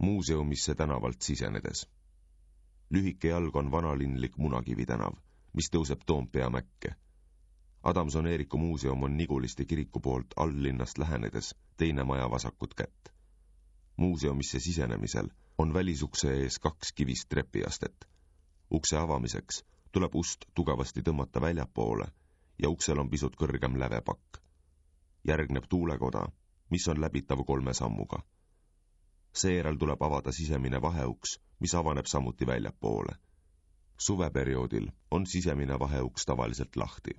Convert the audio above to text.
Muuseumisse tänavalt sisenedes. Lühike jalg on vanalinlik Munakivi tänav, mis tõuseb Toompea mäkke. Adamson-Eeriku muuseum on Niguliste kiriku poolt alllinnast lähenedes teine maja vasakut kätt. Muuseumisse sisenemisel on välisukse ees 2 kivist trepiastet. Ukse avamiseks tuleb ust tugevasti tõmmata väljapoole ja uksel on pisut kõrgem lävepakk. Järgneb tuulekoda, mis on läbitav 3 sammuga. Seejärel tuleb avada sisemine vaheuks, mis avaneb samuti väljapoole. Suveperioodil on sisemine vaheuks tavaliselt lahti.